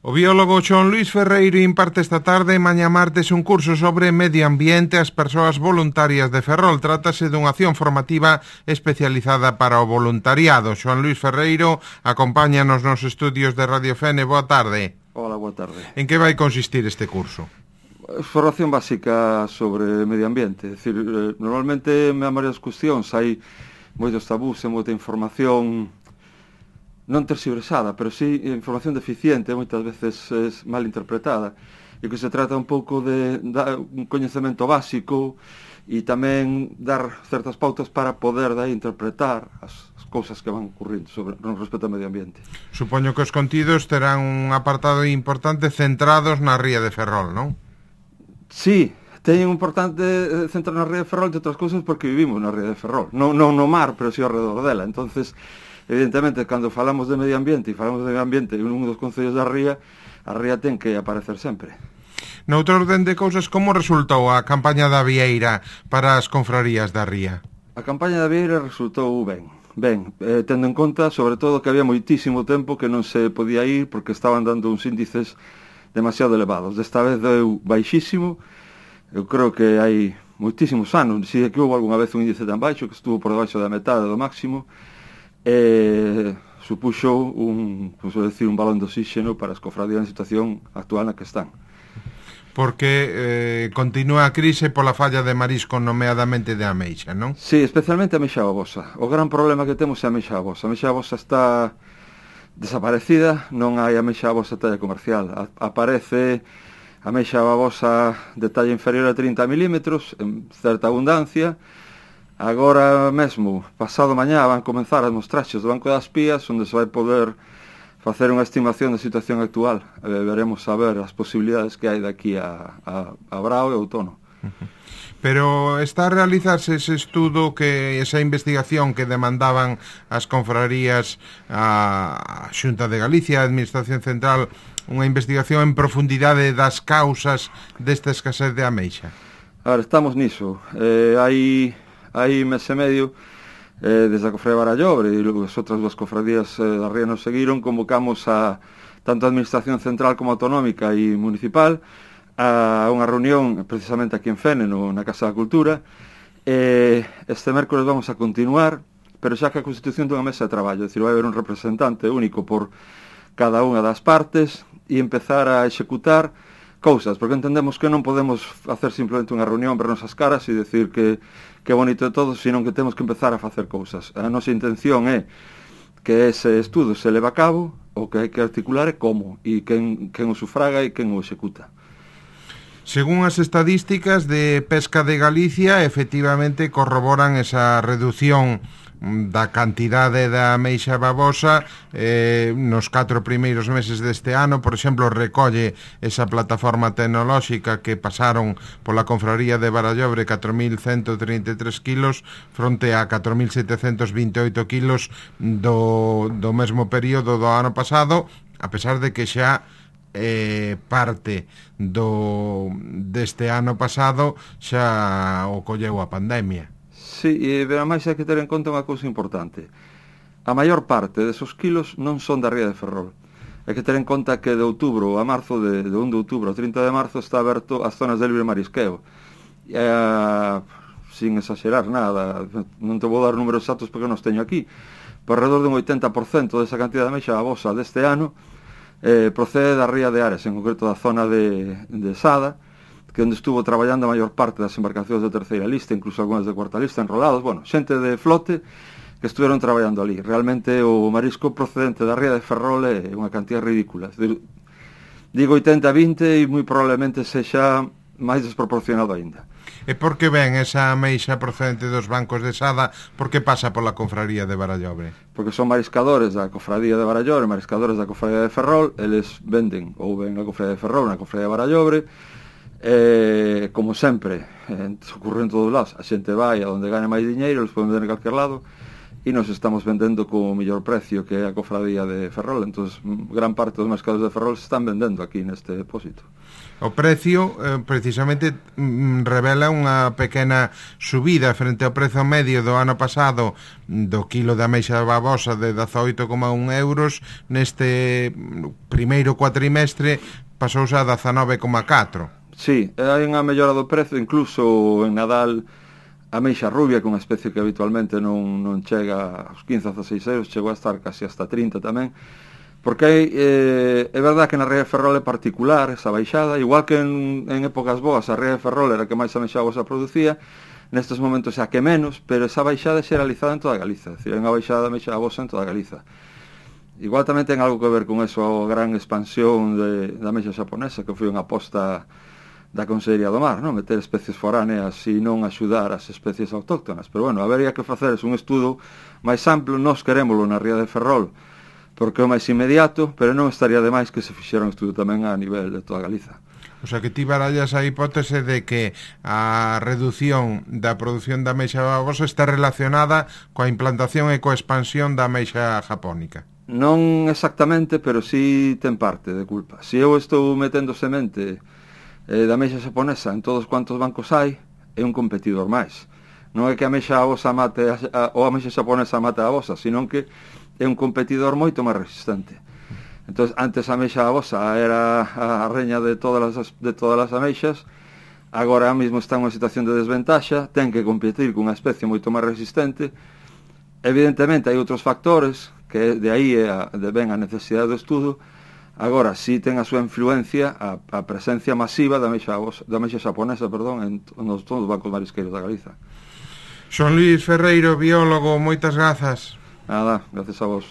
O biólogo Xoán Luís Ferreiro imparte esta tarde, mañá martes, un curso sobre medio ambiente ás persoas voluntarias de Ferrol. Trátase dunha acción formativa especializada para o voluntariado. Xoán Luís Ferreiro acompáñanos nos estudios de Radio Fene. Boa tarde. Hola, boa tarde. En que vai consistir este curso? Formación básica sobre medio ambiente. É dicir, normalmente me dan varias cuestións, hai moitos tabús e moita información non terxiversada, pero sí información deficiente, moitas veces é mal interpretada, e que se trata un pouco de dar un coñecemento básico e tamén dar certas pautas para poder interpretar as cousas que van ocurrindo sobre no respecto ao medio ambiente. Supoño que os contidos terán un apartado importante centrados na ría de Ferrol, non? Sí, teñen un importante centro na ría de Ferrol, de outras cousas porque vivimos na ría de Ferrol, non no mar, pero sí ao redor dela. Entonces, evidentemente, cando falamos de medio ambiente e falamos de medio ambiente en un dos concellos da ría, a ría ten que aparecer sempre. Noutro orden de cousas, como resultou a campaña da Vieira para as confrarías da ría? A campaña da Vieira resultou ben, tendo en conta, sobre todo, que había moitísimo tempo que non se podía ir porque estaban dando uns índices demasiado elevados. Desta vez deu baixísimo. Eu creo que hai moitísimos anos, si é que houve algunha vez un índice tan baixo, que estuvo por debaixo da metade do máximo, supuxo un balón de oxígeno para as cofradías na situación actual na que están. Porque continúa a crise pola falla de marisco, nomeadamente de ameixa, non? Sí, especialmente a ameixa babosa. O gran problema que temos é a ameixa babosa. A ameixa babosa está desaparecida, non hai ameixa babosa de talla comercial. Aparece a ameixa babosa de talla inferior a 30 milímetros, en certa abundancia. Agora mesmo, pasado mañá, van comenzar as mostraxes do Banco das Pías, onde se vai poder facer unha estimación da situación actual. Veremos a ver as posibilidades que hai daqui a Brao e outono. Pero está a realizarse ese estudo, esa investigación que demandaban as confrarías, a Xunta de Galicia, a Administración Central, unha investigación en profundidade das causas desta escasez de ameixa? A ver, estamos niso. Hai mes e medio, desde a Cofradía de Barallobre e as outras dúas cofradías da ría nos seguiron, convocamos a tanto a Administración Central como Autonómica e Municipal a unha reunión precisamente aquí en Fene, na Casa da Cultura. Este mércoles vamos a continuar, pero xa que a constitución dunha mesa de traballo, é dicir, vai haber un representante único por cada unha das partes e empezar a executar cousas, porque entendemos que non podemos facer simplemente unha reunión, vernos as caras e decir que bonito de todo, sino que temos que empezar a facer cousas. A nosa intención é que ese estudo se leva a cabo, o que hai que articular é como, e quen o sufraga e quen o executa. Según as estadísticas de Pesca de Galicia, efectivamente corroboran esa reducción da cantidade da ameixa babosa nos 4 primeiros meses deste ano. Por exemplo, recolle esa plataforma tecnolóxica que pasaron pola confraría de Barallobre 4.133 kilos fronte a 4.728 kilos do mesmo período do ano pasado, a pesar de que xa parte deste ano pasado xa o colleu a pandemia. Sí, e máis hai que ter en conta unha cousa importante. A maior parte desos kilos non son da ría de Ferrol. Hai que ter en conta que de outubro a marzo, de 1 de outubro a 30 de marzo, está aberto as zonas de libre marisqueo. Sin exagerar nada, non te vou dar números exactos porque non os teño aquí, por alrededor dun 80% desa cantidad de ameixa babosa deste ano procede da ría de Ares, en concreto da zona de Sada, que onde estuvo traballando a maior parte das embarcacións de terceira lista, incluso algunhas de cuarta lista, enrolados, xente de flote que estuveron traballando ali. Realmente o marisco procedente da ría de Ferrol é unha cantidad ridícula. Digo 80-20 e moi probablemente sexa máis desproporcionado aínda. E por que ven esa ameixa procedente dos bancos de Sada? Por que pasa pola confraría de Barallobre? Porque son mariscadores da cofradía de Barallobre, mariscadores da cofradía de Ferrol, eles venden ou ven a cofradía de Ferrol, na cofradía de Barallobre. Como sempre, ocurre en todos os lados, a xente vai a onde gane máis diñeiro, eles poden vender en calquer lado, e nos estamos vendendo co mellor precio que é a cofradía de Ferrol. Entón, gran parte dos mercados de Ferrol se están vendendo aquí neste depósito. O precio precisamente revela unha pequena subida frente ao prezo medio do ano pasado do quilo de ameixa babosa de 18,1 euros. Neste primeiro cuatrimestre pasouse a 19,4. Sí, hai unha mellora do prezo, incluso en Nadal a ameixa rubia, que é unha especie que habitualmente non chega aos 15 a 16 euros, chegou a estar casi hasta 30 tamén, porque é verdad que na ría de Ferrol é particular esa baixada, igual que en épocas boas a ría de Ferrol era que máis ameixa babosa producía, nestes momentos xa que menos, pero esa baixada é xeralizada en toda Galiza, é dicir, é unha baixada de ameixa babosa en toda Galiza. Igual tamén ten algo que ver con eso, a gran expansión da ameixa xaponesa, que foi unha aposta da Consellería do Mar, non? Meter especies foráneas e non axudar as especies autóctonas. Pero bueno, habería que facer un estudo máis amplo. Nós querémolo na ría de Ferrol porque é o máis inmediato, pero non estaría de máis que se fixera un estudo tamén a nivel de toda Galiza. O sea, que ti barallas a hipótese de que a reducción da produción da ameixa babosa está relacionada coa implantación e coa expansión da ameixa japónica. Non exactamente, pero sí ten parte de culpa. Se eu estou metendo semente da ameixa xaponesa en todos quantos bancos hai, é un competidor máis. Non é que a ameixa babosa mate ou a ameixa xaponesa mate a babosa, sino que é un competidor moito máis resistente. Entón, antes a ameixa babosa era a reña de todas as ameixas, agora mesmo está en unha situación de desventaxa, ten que competir cunha especie moito máis resistente. Evidentemente hai outros factores, que de aí ven a necesidade do estudo. Agora, si ten a súa influencia a presencia masiva da ameixa xaponesa, en todos os bancos marisqueiros da Galiza. Son Luís Ferreiro, biólogo, moitas grazas. Nada, gracias a vos.